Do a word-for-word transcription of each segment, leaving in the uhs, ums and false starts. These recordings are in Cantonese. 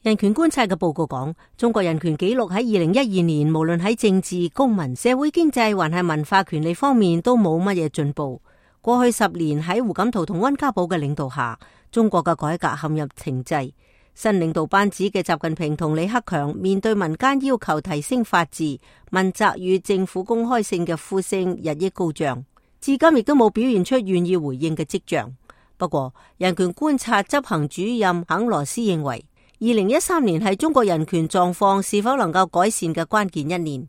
人權觀察嘅報告講，中國人權紀錄喺二零一二年，無論喺政治、公民、社會、經濟，還係文化權利方面，都冇乜嘢進步。過去十年喺胡錦濤同溫家寶嘅領導下，中國嘅改革陷入停滯。新領導班子嘅習近平同李克強面對民間要求提升法治、問責與政府公開性嘅呼聲日益高漲，至今亦都冇表現出願意回應嘅跡象。不過，人權觀察執行主任肯羅斯認為，二零一三年係中國人權狀況是否能夠改善嘅關鍵一年。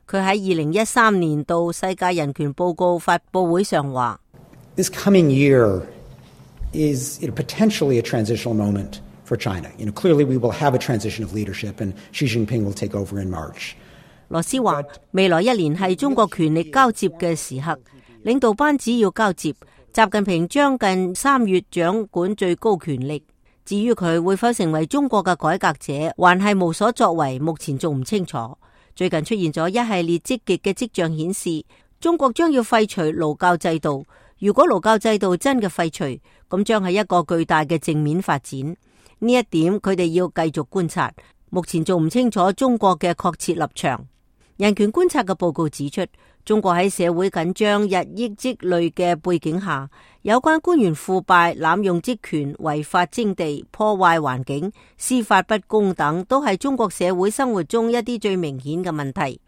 佢喺二零一三年度世界人權報告發佈會上話：This coming year is potentially a transitional moment for China. You know, clearly we will have a transition of leadership, and Xi Jinping will take over in March. 羅斯話：未來一年係中國權力交接嘅時刻，領導班子要交接，習近平將近三月掌管最高權力。至於佢會否成為中國嘅改革者，還係無所作為，目前仲唔清楚。最近出現咗一系列積極嘅跡象，顯示中國將要廢除勞教制度。如果勞教制度真嘅廢除，咁將係一個巨大嘅正面發展。呢一點佢哋要繼續觀察，目前仲唔清楚中國嘅確切立場。人權觀察嘅報告指出，中國喺社會緊張日益積累嘅背景下，有關官員腐敗、濫用職權、違法徵地、破壞環境、司法不公等，都係中國社會生活中一啲最明顯嘅問題。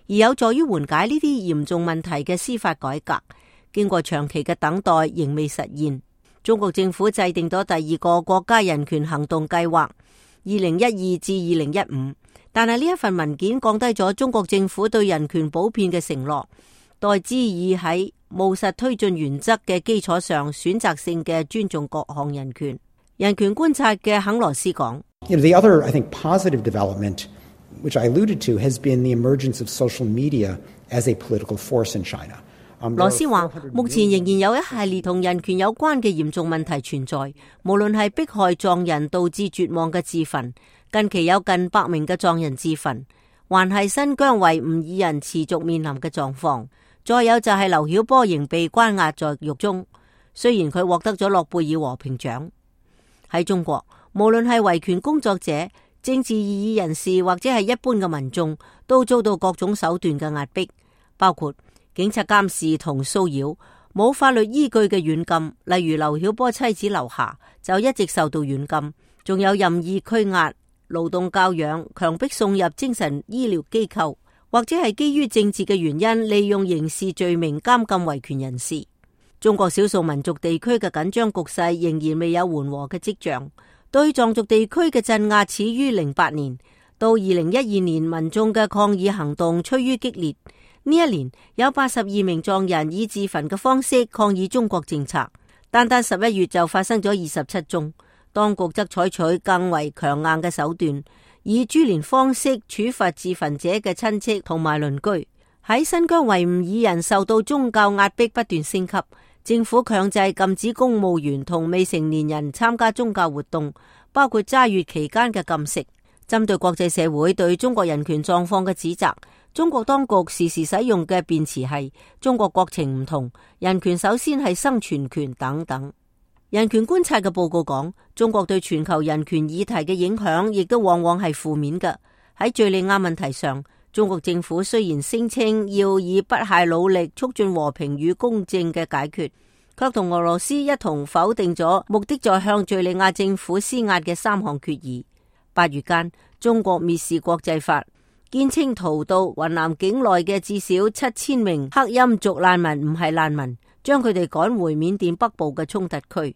而有助於緩解呢啲嚴重問題嘅司法改革，經過長期嘅等待，仍未實現。中國政府制定咗第二個國家人權行動計劃，二零一二至二零一五。但係呢一份文件降低咗中國政府對人權普遍嘅承諾，代之以喺務實推進原則嘅基礎上，選擇性嘅尊重各項人權。人權觀察嘅肯羅斯講：You know, the other, I think, positive development, which I alluded to, has been the emergence of social media as a political force in China. 羅斯話：目前仍然有一系列同人權有關嘅嚴重問題存在，無論係迫害藏人導致絕望嘅自焚。近期有近百名嘅藏人自焚，還係新疆維吾爾人持續面臨嘅狀況。再有就係劉曉波仍被關押在獄中，雖然佢獲得咗諾貝爾和平獎。喺中國，無論係維權工作者、政治異議人士或者係一般嘅民眾，都遭到各種手段嘅壓迫，包括警察監視同騷擾，冇法律依據嘅軟禁，例如劉曉波妻子劉霞就一直受到軟禁，仲有任意拘押、勞動教養、強迫送入精神醫療機構，或者係基於政治嘅原因，利用刑事罪名監禁維權人士。中國少數民族地區嘅緊張局勢仍然未有緩和嘅跡象，對藏族地區嘅鎮壓始於零八年，到二零一二年民眾嘅抗議行動趨於激烈。呢一年有八十二名藏人以自焚嘅方式抗議中國政策，單單十一月就發生咗二十七宗。當局則採取更為強硬嘅手段，以株連方式處罰自焚者嘅親戚同埋鄰居。喺新疆維吾爾人受到宗教壓迫不斷升級，政府強制禁止公務員同未成年人參加宗教活動，包括齋月期間嘅禁食。針對國際社會對中國人權狀況嘅指責，中國當局時時使用嘅辯詞係中國國情唔同，人權首先係生存權等等。人權觀察嘅報告講，中國對全球人權議題嘅影響亦都往往係負面嘅。喺敘利亞問題上，中國政府雖然聲稱要以不懈努力促進和平與公正嘅解決，卻同俄羅斯一同否定咗目的在向敘利亞政府施壓嘅三項決議。八月間，中國蔑視國際法，堅稱逃到雲南境內嘅至少七千名克欽族難民唔係難民，將佢哋趕回緬甸北部嘅衝突區。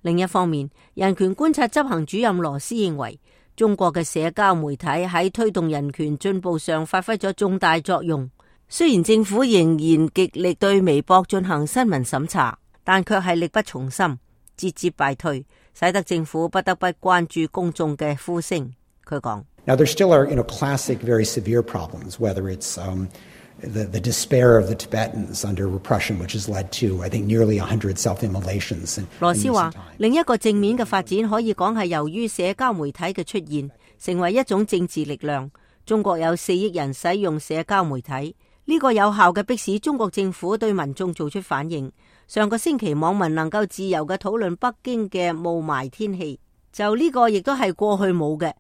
另一方面，人權觀察執行主任羅斯認為，中國嘅社交媒體喺推動人權進步上發揮咗重大作用。雖然政府仍然極力對微博進行新聞審查，但卻係力不從心，節節敗退，使得政府不得不關注公眾嘅呼聲。佢講：Now there still are, you know, classic, very severe problems, whether it's um, the, the despair of the Tibetans under repression, which has led to, I think, nearly one hundred self-immolations. 羅斯話，另一個正面嘅發展可以講係由於社交媒體嘅出現，成為一種政治力量。中國有四億人使用社交媒體，呢個有效嘅迫使中國政府對民眾做出反應。上個星期網民能夠自由嘅討論北京嘅霧霾天氣，就呢個亦都係過去冇嘅。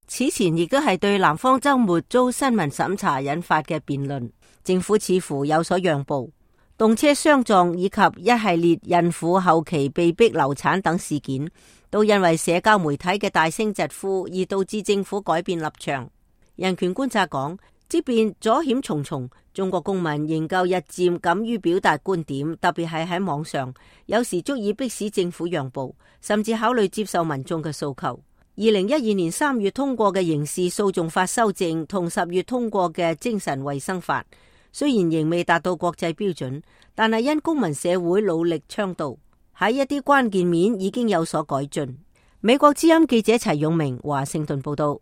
此前亦都係對南方周末遭新聞審查引發嘅辯論，政府似乎有所讓步。動車相撞以及一系列孕婦後期被逼流產等事件，都因為社交媒體嘅大聲疾呼而導致政府改變立場。人權觀察講，即便阻險重重，中國公民仍舊日漸敢於表達觀點，特別係喺網上，有時足以迫使政府讓步，甚至考慮接受民眾嘅訴求。二零一二年三月通過嘅刑事訴訟法修正同十月通過嘅精神衛生法，雖然仍未達到國際標準，但係因公民社會努力倡導，喺一啲關鍵面已經有所改進。美國之音記者齊永明華盛頓報道。